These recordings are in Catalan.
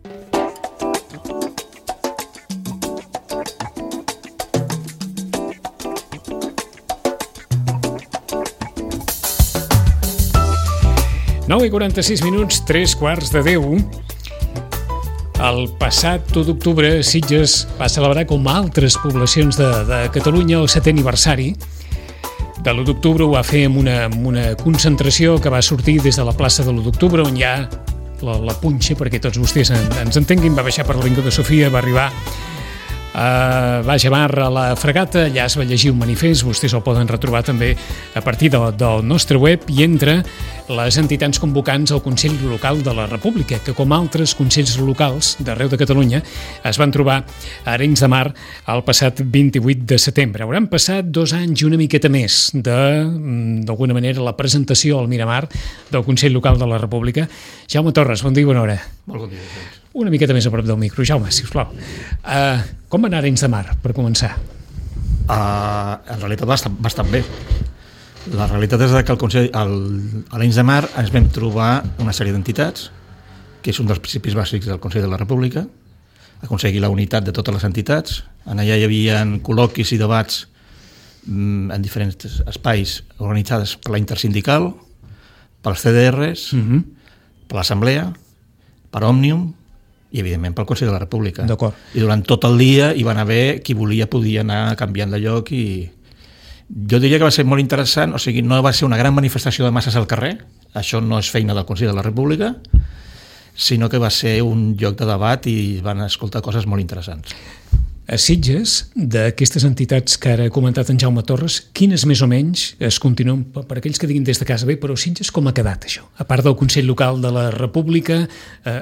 Nou i 46 minuts, 9:45. El passat 1 d'octubre, Sitges va celebrar, com altres poblacions de Catalunya, el 7è aniversari. De l'1 d'octubre ho va fer amb una concentració que va sortir des de la plaça de l'1 d'octubre, on hi ha la punxa, perquè tots vostès ens entenguin, va baixar per l'Avinguda de Sofia, va arribar a Baix Amar a la Fregata, allà es va llegir un manifest, vostès el poden retrobar també a partir del nostre web, i entre les entitats convocants al Consell Local de la República, que com altres consells locals d'arreu de Catalunya es van trobar a Arenys de Mar el passat 28 de setembre. Hauran passat 2 anys i una miqueta més d'alguna manera la presentació al Miramar del Consell Local de la República. Jaume Torres, bon dia i bona hora. Molt bon dia, doncs. Una miqueta més a prop del micro, Jaume, sisplau. Com va anar Arenys de Mar, per començar? En realitat bastant bé. La realitat és que a Arenys de Mar ens vam trobar una sèrie d'entitats, que és un dels principis bàsics del Consell de la República, aconseguir la unitat de totes les entitats. En allà hi havia col·loquis i debats en diferents espais organitzats per la Intersindical, pels CDRs, per l'Assemblea, per Òmnium i, evidentment, pel Consell de la República. D'acord. I durant tot el dia hi van haver qui volia podia anar canviant de lloc, i jo diria que va ser molt interessant. O sigui, no va ser una gran manifestació de masses al carrer, això no és feina del Consell de la República, sinó que va ser un lloc de debat i van escoltar coses molt interessants. A Sitges, d'aquestes entitats que ara ha comentat en Jaume Torres, quines més o menys es continuen, per aquells que diguin des de casa, bé, però Sitges com ha quedat això? A part del Consell Local de la República,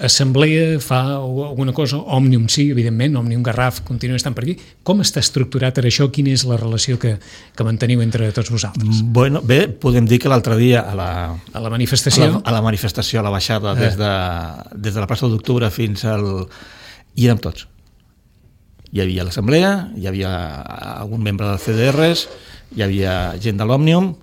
Assemblea fa alguna cosa, Òmnium sí, evidentment, Òmnium Garraf continua estant per aquí. Com està estructurat ara això? Quina és la relació que manteniu entre tots vosaltres? Bueno, bé, podem dir que l'altre dia a la manifestació, a la baixada des de la plaça d'Octubre fins al... hi érem tots. Hi havia l'Assemblea, hi havia algun membre dels CDRs, hi havia gent de l'Òmnium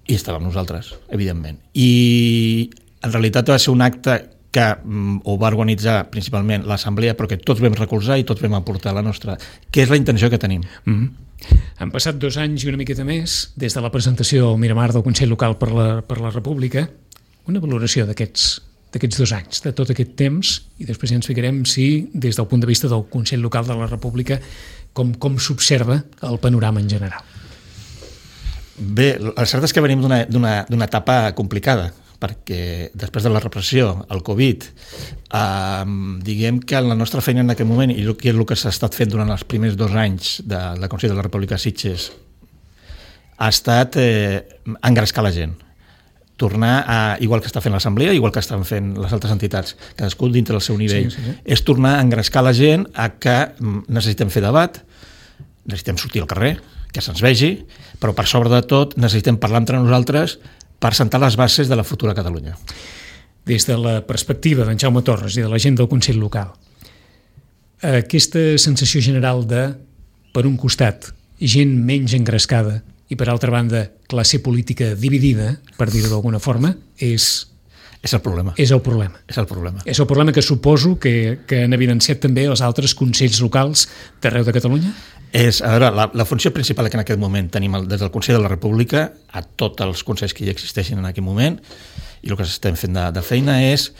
i estàvem nosaltres, evidentment. I en realitat va ser un acte que ho va organitzar principalment l'Assemblea, però que tots vam recolzar i tots vam aportar la nostra, que és la intenció que tenim. Han passat 2 anys i una miqueta més des de la presentació al Miramar del Consell Local per la República. Una valoració d'aquests 2 anys, de tot aquest temps, i després ja ens ficarem si, des del punt de vista del Consell Local de la República, com s'observa el panorama en general. Bé, el cert és que venim d'una etapa complicada, perquè després de la repressió, el Covid, diguem que la nostra feina en aquest moment, i el que s'ha estat fent durant els primers 2 anys del Consell de la República Sitges, ha estat engrescar la gent. Tornar a, igual que està fent l'Assemblea, igual que estan fent les altres entitats, cadascú dintre del seu nivell, sí. És tornar a engrescar la gent a que necessitem fer debat, necessitem sortir al carrer, que se'ns vegi, però per sobre de tot necessitem parlar entre nosaltres per sentar les bases de la futura Catalunya. Des de la perspectiva d'en Jaume Torres i de la gent del Consell Local, aquesta sensació general de, per un costat, gent menys engrescada, i per altra banda, classe política dividida, per dir-ho d'alguna forma, és el problema. És el problema. És el problema. És el problema que suposo que han evidenciat també els altres consells locals d'arreu de Catalunya? A veure, la funció principal que en aquest moment tenim des del Consell de la República, a tots els consells que ja existeixen en aquest moment, i el que estem fent de feina és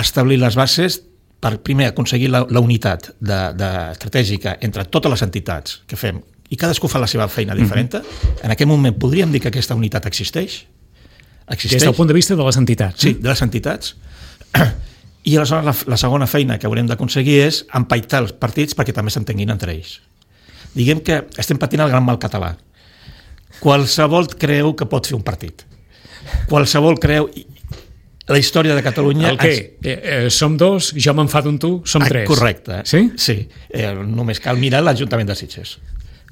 establir les bases per, primer, aconseguir la unitat estratègica entre totes les entitats que fem, i cadascú fa la seva feina diferent. En aquest moment podríem dir que aquesta unitat existeix. Des del punt de vista de les entitats. Sí, de les entitats. I aleshores la segona feina que haurem d'aconseguir és empaitar els partits perquè també s'entenguin entre ells. Diguem que estem patint el gran mal català. Qualsevol creu que pot fer un partit. Qualsevol creu... La història de Catalunya... El què? Som 2, jo m'enfado amb tu, som 3. Correcte. Sí? Sí. Només cal mirar l'Ajuntament de Sitges.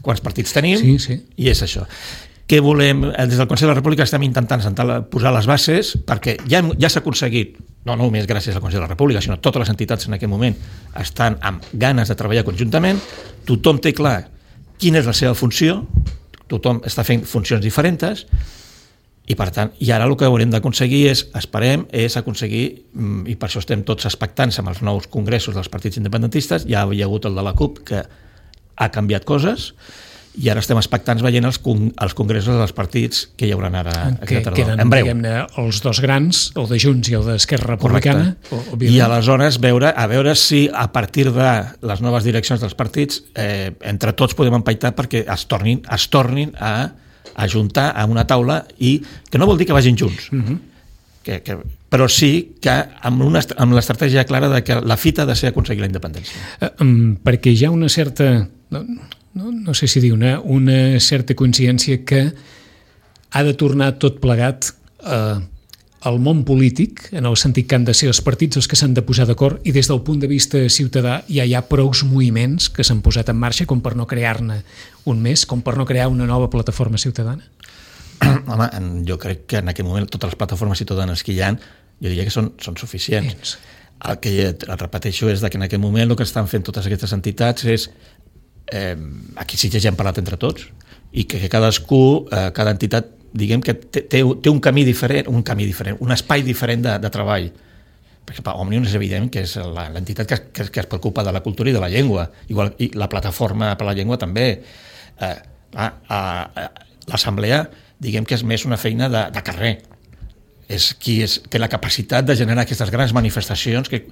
Quants partits tenim, sí. I és això. Què volem? Des del Consell de la República estem intentant posar les bases perquè ja s'ha aconseguit, no només gràcies al Consell de la República, sinó totes les entitats en aquest moment estan amb ganes de treballar conjuntament, tothom té clar quina és la seva funció, tothom està fent funcions diferents, I per tant, i ara el que haurem d'aconseguir és aconseguir, i per això estem tots expectants amb els nous congressos dels partits independentistes, ja hi ha hagut el de la CUP que ha canviat coses, i ara estem expectants veient els congressos dels partits que hi haurà ara que queden, en breu. Diguem-ne, els dos grans, el de Junts i el d'Esquerra Republicana. I aleshores a veure si a partir de les noves direccions dels partits entre tots podem empaitar perquè es tornin a ajuntar a una taula, i que no vol dir que vagin junts, però sí que amb l'estratègia clara de que la fita ha de ser aconseguir la independència. Perquè hi ha una certa... No sé si dir una certa consciència que ha de tornar tot plegat al món polític, en el sentit que han de ser els partits els que s'han de posar d'acord, i des del punt de vista ciutadà ja hi ha prous moviments que s'han posat en marxa com per no crear-ne un més, com per no crear una nova plataforma ciutadana? Home, jo crec que en aquest moment totes les plataformes ciutadanes que hi ha, jo diria que són suficients. El que repeteixo és que en aquest moment el que estan fent totes aquestes entitats és aquí sí que ja hem parlat entre tots, i que cadascú, cada entitat, diguem que té un camí diferent, un espai diferent de treball. Per exemple, Òmnium és evident que és l'entitat que es preocupa de la cultura i de la llengua, igual, i la plataforma per la llengua també. L'assemblea, diguem que és més una feina de carrer, és qui té la capacitat de generar aquestes grans manifestacions que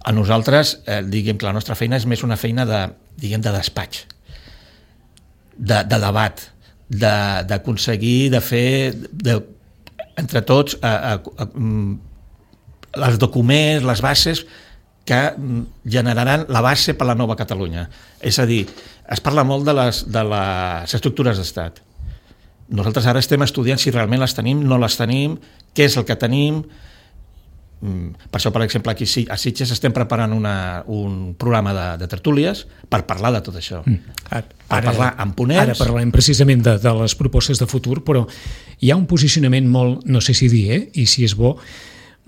a nosaltres, diguem que la nostra feina és més una feina de despatx, de debat, d'aconseguir de fer entre tots els documents, les bases que generaran la base per la nova Catalunya. És a dir, es parla molt de les estructures d'estat. Nosaltres ara estem estudiant si realment les tenim, no les tenim, què és el que tenim. Per això, per exemple, aquí a Sitges estem preparant un programa de tertúlies per parlar de tot això, per parlar amb ponents. Ara parlem precisament de les propostes de futur, però hi ha un posicionament molt, no sé si dir, i si és bo,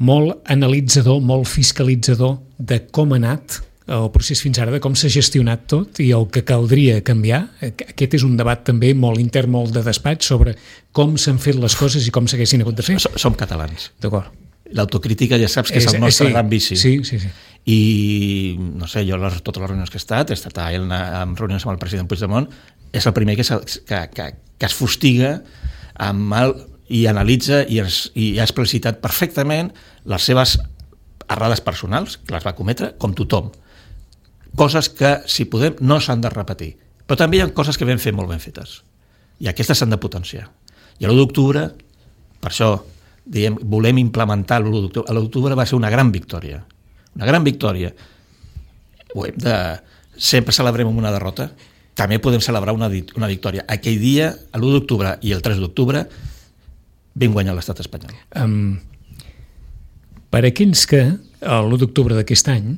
molt analitzador, molt fiscalitzador de com ha anat el procés fins ara, de com s'ha gestionat tot i el que caldria canviar. Aquest és un debat també molt intern, molt de despatx, sobre com s'han fet les coses i com s'haguessin hagut de fer. Som catalans. D'acord. L'autocrítica ja saps que és el nostre gran vici. Sí. I, no sé, jo totes les reunions que he estat en reunions amb el president Puigdemont, és el primer que es fustiga i analitza i ha explicitat perfectament les seves errades personals, que les va cometre, com tothom. Coses que, si podem, no s'han de repetir. Però també hi ha coses que vam fer molt ben fetes. I aquestes s'han de potenciar. I l'1 d'octubre, per això, volem implementar l'1 d'octubre. L'1 d'octubre va ser una gran victòria. Una gran victòria. Sempre celebrem una derrota, també podem celebrar una victòria. Aquell dia, l'1 d'octubre i el 3 d'octubre, vam guanyar l'estat espanyol. Per aquells que, l'1 d'octubre d'aquest any,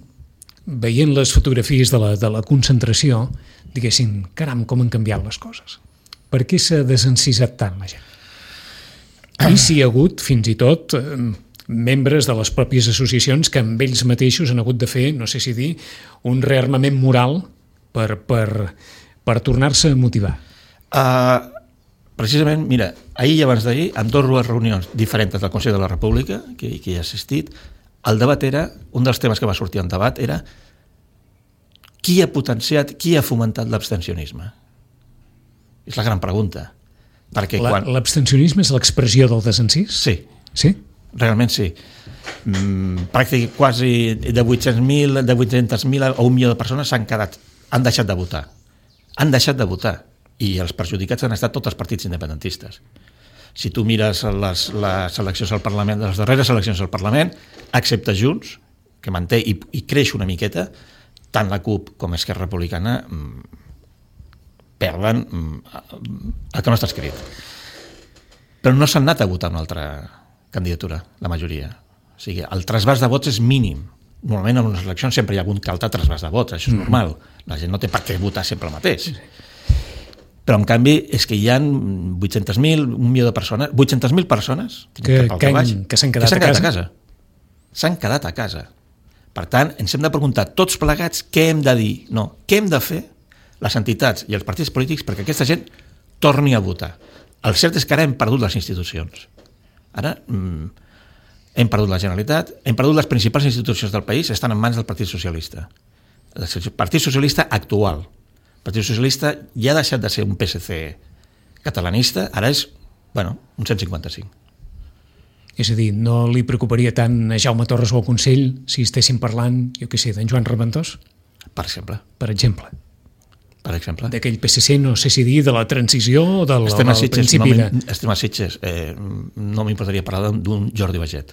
veient les fotografies de la concentració, diguessin, caram, com han canviat les coses. Per què s'ha desencisat tant la gent? I si hi ha hagut, fins i tot, membres de les pròpies associacions que amb ells mateixos han hagut de fer, no sé si dir, un rearmament moral per tornar-se a motivar. Precisament, mira, ahir i abans d'ahir, amb 2 reunions diferents del Consell de la República, que hi he assistit, el debat era, un dels temes que va sortir en debat era qui ha potenciat, qui ha fomentat l'abstencionisme? És la gran pregunta. L'abstencionisme és l'expressió del desencís? Sí? Realment sí. Pràcticament quasi de 800.000 a 1 milió de persones han deixat de votar. Han deixat de votar. I els perjudicats han estat tots els partits independentistes. Si tu mires les eleccions al Parlament, les darreres eleccions al Parlament, excepte Junts, que manté i creix una miqueta, tant la CUP com Esquerra Republicana perden el que no està escrit. Però no s'han anat a votar una altra candidatura, la majoria. O sigui, el trasbàs de vots és mínim. Normalment en unes eleccions sempre hi ha hagut que altre trasbàs de vots, això és normal. La gent no té per què votar sempre el mateix. Però en canvi és que hi ha 800.000, 1 milió de persones, 800.000 persones que s'han quedat a casa. S'han quedat a casa. Per tant, ens hem de preguntar tots plegats què hem de dir, no, què hem de fer les entitats i els partits polítics perquè aquesta gent torni a votar. El cert és que ara hem perdut les institucions. Ara hem perdut la Generalitat, hem perdut les principals institucions del país, estan en mans del Partit Socialista. El Partit Socialista actual. El Partit Socialista ja ha deixat de ser un PSC catalanista, ara és, un 155. És a dir, no li preocuparia tant a Jaume Torres o al Consell si estessin parlant, jo què sé, d'en Joan Reventós? Per exemple. Per exemple. D'aquell PSC, no sé si dir, de la transició o del principi de... Estem a Sitges. No m'importaria parlar d'un Jordi Baget.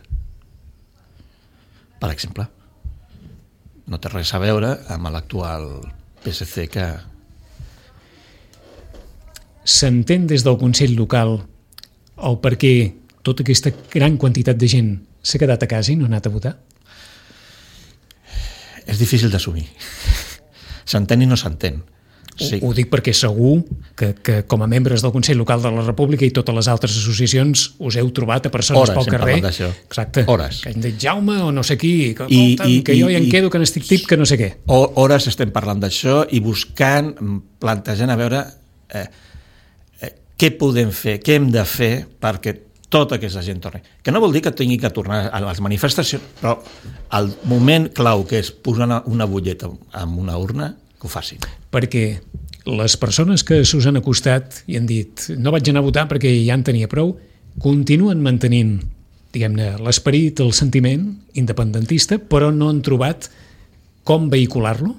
Per exemple. No té res a veure amb l'actual PSC que... S'entén des del Consell local el per què tota aquesta gran quantitat de gent s'ha quedat a casa i no ha anat a votar? És difícil d'assumir. S'entén i no s'entén. Sí. Ho dic perquè segur que com a membres del Consell Local de la República i totes les altres associacions us heu trobat a persones pel carrer. Exacte. Hores. Que han dit Jaume o no sé qui, que jo hi en quedo, que n'estic tip, que no sé què. Hores estem parlant d'això i buscant, plantejant a veure què podem fer, què hem de fer perquè tota aquesta gent torni. Que no vol dir que tingui que tornar a les manifestacions, però el moment clau que és posar una butlleta en una urna, que ho facin. Perquè les persones que s'us han acostat i han dit no vaig anar a votar perquè ja en tenia prou, continuen mantenint, diguem-ne, l'esperit, el sentiment independentista, però no han trobat com vehicular-lo?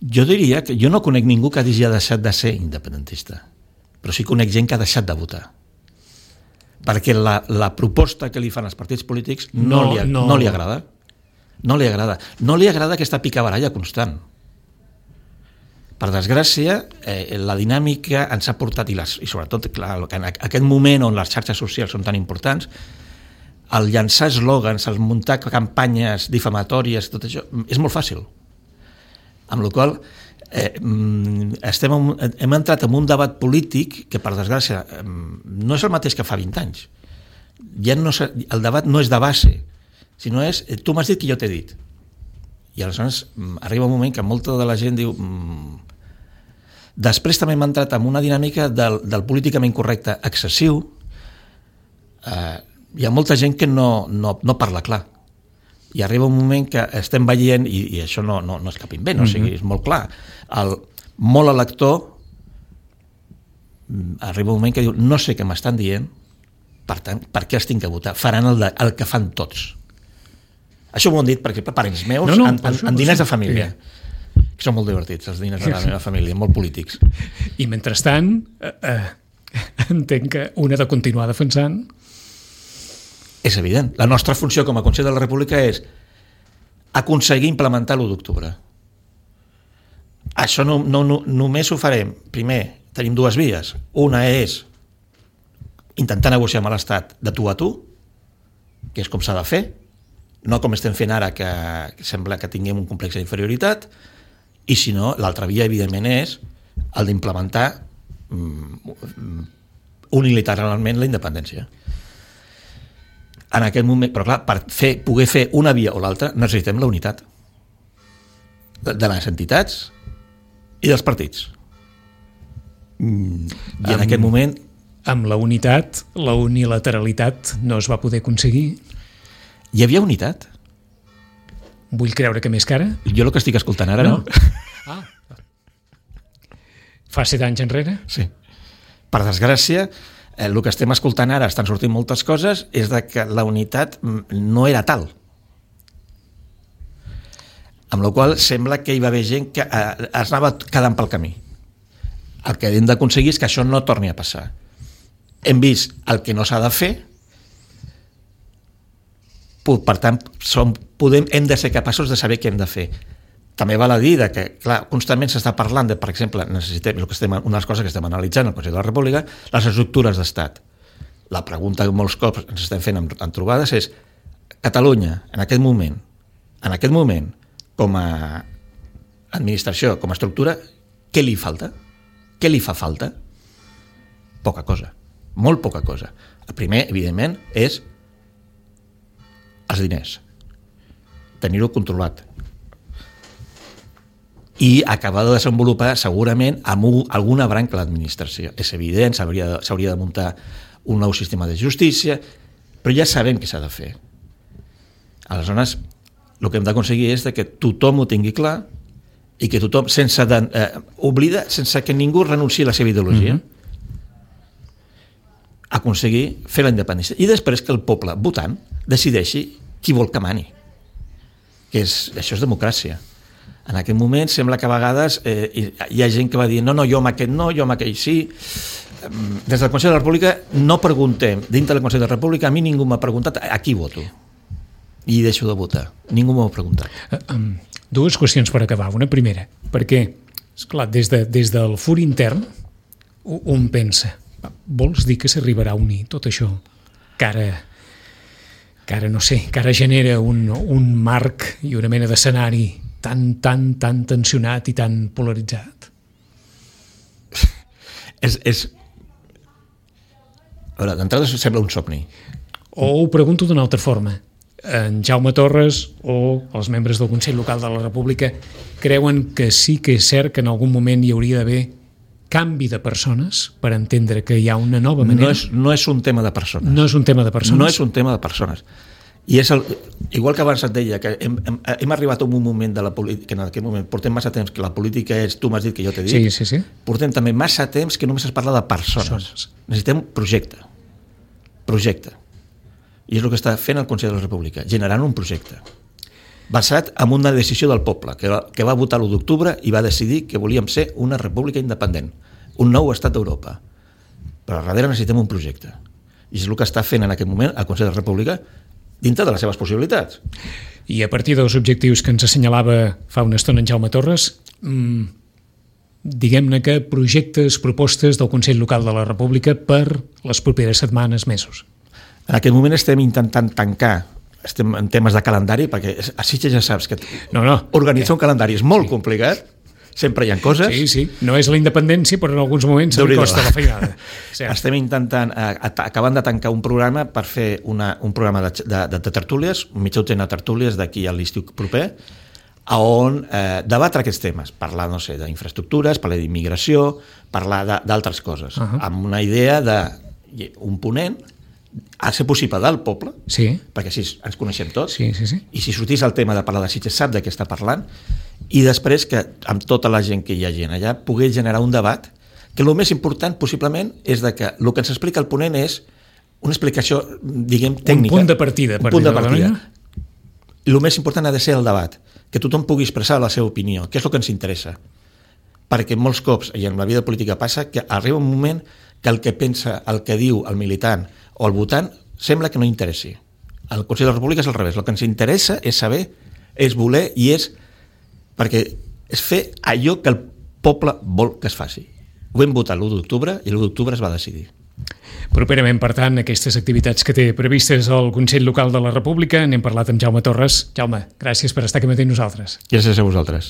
Jo diria que jo no conec ningú que hagi deixat de ser independentista, però sí conec gent que ha deixat de votar. Perquè la proposta que li fan els partits polítics no li agrada. No li agrada. No li agrada aquesta picabaralla constant. Per desgràcia, la dinàmica ens ha portat, i sobretot clar, en aquest moment on les xarxes socials són tan importants, el llançar eslògans, el muntar campanyes difamatòries, tot això, és molt fàcil. Amb la qual hem entrat en un debat polític que, per desgràcia, no és el mateix que fa 20 anys. Ja no, el debat no és de base, sinó és tu m'has dit que jo t'he dit. I aleshores arriba un moment que molta de la gent diu... Després també hem entrat en una dinàmica del políticament correcte excessiu. Hi ha molta gent que no parla clar. I arriba un moment que estem veient, i això no és cap invent, o sigui, és molt clar, molt elector arriba un moment que diu no sé què m'estan dient, per tant, per què els tinc que votar? Faran el que fan tots. Això m'ho han dit, per exemple, parents meus en diners de família. Que són molt divertits, els diners de la meva família, molt polítics. I mentrestant, entenc que una de continuar defensant... És evident. La nostra funció com a Consell de la República és aconseguir implementar l'1 d'octubre. Això només ho farem. Primer, tenim dues vies. Una és intentar negociar amb l'Estat de tu a tu, que és com s'ha de fer, no com estem fent ara, que sembla que tinguem un complex d'inferioritat, i si no, l'altra via, evidentment, és el d'implementar unilateralment la independència. En aquest moment, però clar, per poder fer una via o l'altra necessitem la unitat de les entitats i dels partits. I en aquest moment... Amb la unitat, la unilateralitat no es va poder aconseguir. Hi havia unitat? Vull creure que més que ara. Jo el que estic escoltant ara no. Fa 7 anys enrere? Sí. Per desgràcia, el que estem escoltant ara, estan sortint moltes coses, és de que la unitat no era tal. Amb la qual sembla que hi va haver gent que es anava quedant pel camí. El que hem d'aconseguir és que això no torni a passar. Hem vist el que no s'ha de fer, per tant, hem de ser capaços de saber què hem de fer. També val a dir que, clar, constantment s'està parlant de, per exemple, necessitem, una de les coses que estem analitzant al Consell de la República, les estructures d'estat. La pregunta que molts cops ens estem fent en trobades és Catalunya, en aquest moment, com a administració, com a estructura, què li falta? Què li fa falta? Poca cosa, molt poca cosa. El primer, evidentment, és els diners. Tenir-ho controlat. i acabar de desenvolupar segurament amb alguna branca de l'administració. És evident, s'hauria de muntar un nou sistema de justícia, però ja sabem què s'ha de fer. Aleshores, el que hem d'aconseguir és que tothom ho tingui clar i que tothom, sense que ningú renunciï a la seva ideologia, aconseguir fer la independència. I després que el poble, votant, decideixi qui vol que mani. Això és democràcia. En aquest moment sembla que a vegades hi ha gent que va dir no, jo amb aquest no, jo amb aquell sí. Des del Consell de la República no preguntem, dintre del Consell de la República a mi ningú m'ha preguntat a qui voto i deixo de votar, ningú m'ho ha preguntat. Dues qüestions per acabar. Una primera, perquè esclar, des del fur intern un pensa, vols dir que s'arribarà a unir tot això que ara no sé, que ara genera un marc i una mena d'escenari tan tensionat i tan polaritzat? A veure, d'entrada sembla un somni. O ho pregunto d'una altra forma. En Jaume Torres o els membres del Consell Local de la República creuen que sí que és cert que en algun moment hi hauria d'haver canvi de persones per entendre que hi ha una nova manera? No és un tema de persones. No és un tema de persones? No és un tema de persones. I igual que abans et deia que hem arribat a un moment de la política, que en aquest moment portem massa temps que la política és, tu m'has dit que jo t'he dit, sí. Portem també massa temps que només es parla de persones. Necessitem projecte. I és el que està fent el Consell de la República, generant un projecte basat en una decisió del poble que va votar l'1 d'octubre i va decidir que volíem ser una república independent, un nou estat d'Europa. Però a darrere necessitem un projecte. I és el que està fent en aquest moment el Consell de la República dintre de les seves possibilitats. I a partir dels objectius que ens assenyalava fa una estona en Jaume Torres, diguem-ne que projectes, propostes del Consell Local de la República per les properes setmanes, mesos. En aquest moment estem intentant tancar, estem en temes de calendari, perquè a Sitges ja saps que organitzar un calendari és molt complicat, sempre hi ha coses. Sí, no és la independència, però en alguns moments se li costa la feinada. Estem intentant, acabant de tancar un programa per fer un programa de tertúlies, mitja dotzena de tertúlies d'aquí a l'estiu proper, on debatre aquests temes, parlar, no sé, d'infraestructures, parlar d'immigració, parlar d'altres coses, amb una idea d'un ponent a ser possible del poble, perquè així ens coneixem tots, i si sortís el tema de parlar de Sitges sap de què està parlant, i després que amb tota la gent que hi ha gent allà poder generar un debat que el més important possiblement és que el que ens explica el ponent és una explicació, diguem, tècnica. Un punt de partida. I el més important ha de ser el debat, que tothom pugui expressar la seva opinió, que és el que ens interessa. Perquè molts cops, i en la vida política passa, que arriba un moment que el que pensa, el que diu el militant o el votant, sembla que no interessi. Al Consell de la República és al revés. El que ens interessa és saber, és voler i és fer allò que el poble vol que es faci. Ho vam votar l'1 d'octubre i l'1 d'octubre es va decidir. Properament, per tant, aquestes activitats que té previstes al Consell Local de la República, n'hem parlat amb Jaume Torres. Jaume, gràcies per estar aquí amb nosaltres. Gràcies a vosaltres.